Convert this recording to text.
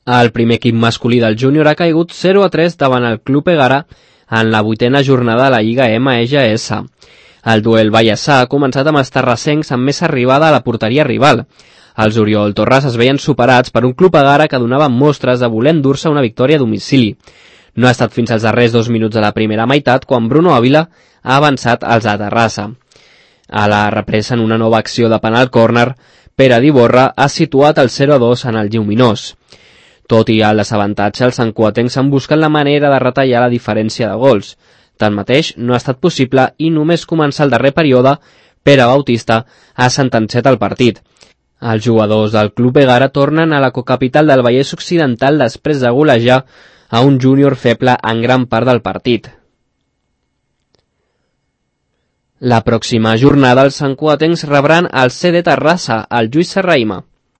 El primer equip masculí del júnior ha caigut 0-3 davant el Club Egara en la 8a jornada de la Lliga MGS. El duel Vallèsà ha començat amb els terrassencs amb més arribada a la porteria rival. Els Oriol Torres es veien superats per un Club Egara que donava mostres de voler endur-se una victòria a domicili. No ha estat fins als darrers 2 minuts de la primera meitat quan Bruno Ávila ha avançat als de Terrassa. A la represa, en una nova acció de penal córner, Pere Diborra ha situat el 0-2 en el lluminós. Tot i el desavantatge, els santcugatencs han buscat la manera de retallar la diferència de gols. Tanmateix, no ha estat possible i només començar el darrer període, Pere Bautista ha sentenciat el partit. Els jugadors del Club Egara tornen a la cocapital del Vallès Occidental després de golejar a un júnior feble en gran part del partit. La pròxima jornada els santcugatencs rebran el CD Terrassa, al Lluís Serrahima.